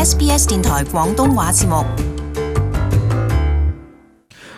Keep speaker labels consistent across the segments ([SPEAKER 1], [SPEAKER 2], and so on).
[SPEAKER 1] SBS 電台廣東話節目。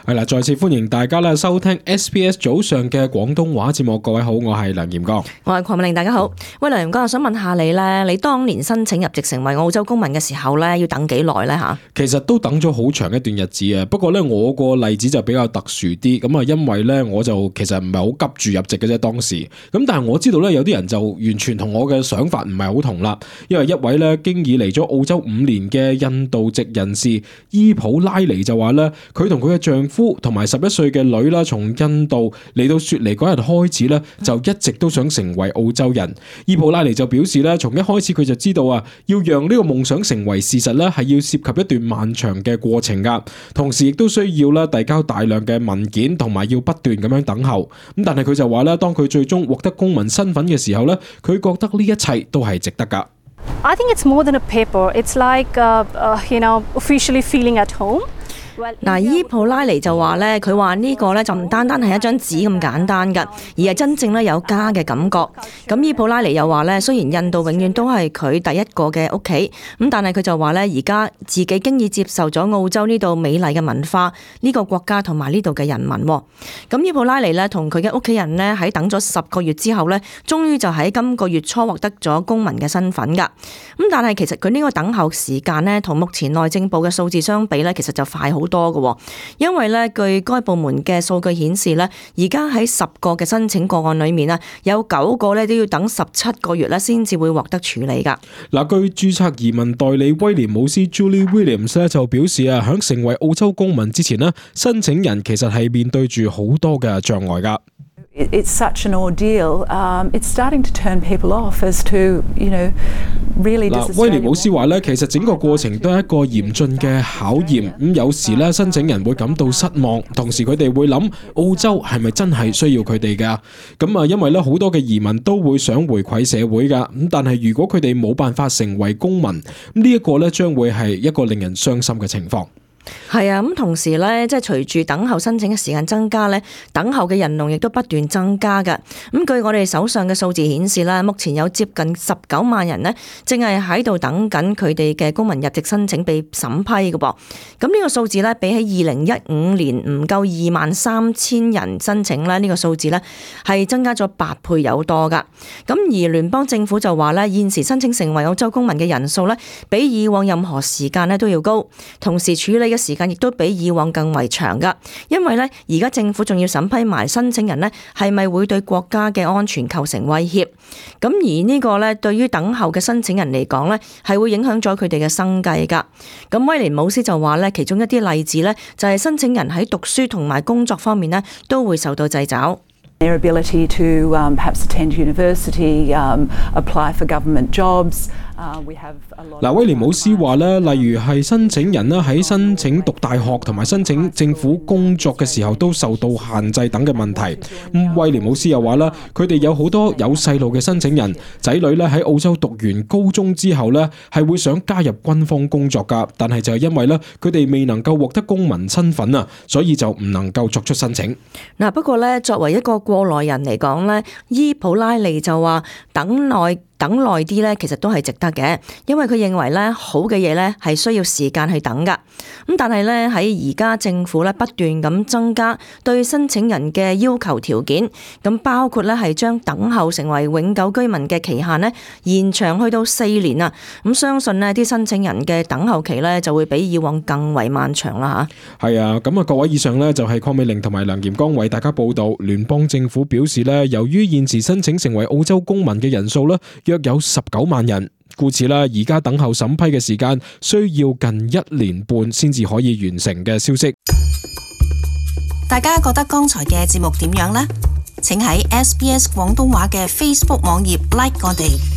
[SPEAKER 2] 係啦，再次歡迎大家咧收聽 SBS 早上嘅廣東話節目。各位好，我係梁炎剛，
[SPEAKER 3] 我係鄺美玲，大家好。喂，梁炎剛，我想問下你咧，你當年申請入籍成為澳洲公民嘅時候咧，要等幾耐咧吓？
[SPEAKER 2] 其實都等咗好長一段日子啊。不過咧，我個例子就比較特殊啲，咁啊，因為咧我就其實唔係好急住入籍嘅啫當時。咁但係我知道咧，有啲人就完全同我嘅想法唔係好同啦。因為一位咧經已嚟咗澳洲5年嘅印度籍人士伊普拉尼就話咧，佢同佢嘅丈夫同埋11歲嘅女啦，從印度嚟到雪梨嗰日開始咧，就一直都想成為澳洲人。伊普拉尼就表示咧，從一開始佢就知道啊，要讓呢個夢想成為事實咧，係要涉及一段漫長嘅過程噶，同時亦都需要咧遞交大量嘅文件，同埋要不斷咁樣等候。咁但係佢就話咧，當佢最終獲得公民身份嘅時候咧，佢覺得呢一切都係值得噶。
[SPEAKER 4] I think it's more than a paper. It's like officially feeling at home.
[SPEAKER 3] 嗱，伊普拉尼就話咧，佢話呢個咧就唔單單係一張紙咁簡單噶，而係真正咧有家嘅感覺。咁伊普拉尼又話咧，雖然印度永遠都係佢第一個嘅屋企，咁但係佢就話咧，而家自己經已接受咗澳洲呢度美麗嘅文化、呢個國家同埋呢度嘅人民。咁伊普拉尼咧同佢嘅屋企人咧喺等咗10個月之後咧，終於就喺今個月初獲得咗公民嘅身份噶。咁但係其實佢呢個等候時間咧，同目前內政部嘅數字相比咧，其實就快好多嘅，因為咧據該部門嘅數據顯示咧，而家喺10個嘅申請個案裏面啊，有9個咧都要等17個月咧先至會獲得處理噶。
[SPEAKER 2] 嗱，據註冊移民代理威廉姆斯 Julie Williams 咧就表示啊，喺成為澳洲公民之前呢，申請人其實係面對住好多嘅障礙噶。
[SPEAKER 5] It's such an ordeal. It's starting to turn people off as to, really.
[SPEAKER 2] 威廉姆斯話咧，其實整個過程都係一個嚴峻嘅考驗。咁有時咧，申請人會感到失望，同時佢哋會諗澳洲係咪真係需要佢哋噶？咁啊，因為咧好多嘅移民都會想回饋社會噶。咁但係如果佢哋冇辦法成為公民，呢一個咧將會係一個令人傷心嘅情況。
[SPEAKER 3] 係啊，咁同時咧，即係隨住等候申請嘅時間增加咧，等候嘅人龍亦都不斷增加㗎。咁據我哋手上嘅數字顯示啦，目前有接近19萬人呢，正係喺度等緊佢哋嘅公民入籍申請被審批嘅噃。咁呢個數字咧，比起2015年唔夠23,000人申請咧，呢個數字咧係增加咗8倍有多㗎。咁而聯邦政府就話咧，現時申請成為澳洲公民嘅人數咧，比以往任何時間咧都要高，同時處理嘅時間亦都比以往更為長噶，因為咧而家政府仲要審批埋申請人咧係咪會對國家嘅安全構成威脅。咁而呢個咧對於等候嘅申請人嚟講咧係會影響咗佢哋嘅生計噶。咁威廉姆斯就話咧，其中一啲例子咧就係申請人喺讀書同埋工作方面咧都會受到掣肘。
[SPEAKER 5] Their ability to perhaps attend university, apply for government jobs.
[SPEAKER 2] 威廉姆斯話咧，例如係申請人咧喺申請讀大學同埋申請政府工作嘅時候都受到限制等嘅問題。威廉姆斯又話咧，佢哋有好多有細路嘅申請人，仔女咧喺澳洲讀完高中之後咧係會想加入軍方工作噶，但係就係因為咧佢哋未能夠獲得公民身份啊，所以就唔能夠作出申請。
[SPEAKER 3] 嗱，不過咧作為一個過來人嚟講咧，伊普拉尼就話等耐啲咧，其實都係值得嘅，因為佢認為咧好嘅嘢咧係需要時間去等噶。咁但係咧喺而家政府咧不斷咁增加對申請人嘅要求條件，咁包括咧係將等候成為永久居民嘅期限咧延長去到4年啊。咁相信呢啲申請人嘅等候期咧就會比以往更為漫長啦吓。
[SPEAKER 2] 係啊，咁啊各位，以上呢就係鄺美玲同埋梁炎剛為大家報道。聯邦政府表示咧，由於現時申請成為澳洲公民嘅人數咧約有19萬人，故此啦，而家等候審批嘅時間需要近1年半先至可以完成嘅消息。
[SPEAKER 1] 大家覺得剛才嘅節目點樣呢？請喺 SBS 廣東話嘅 Facebook 網頁 like 我哋。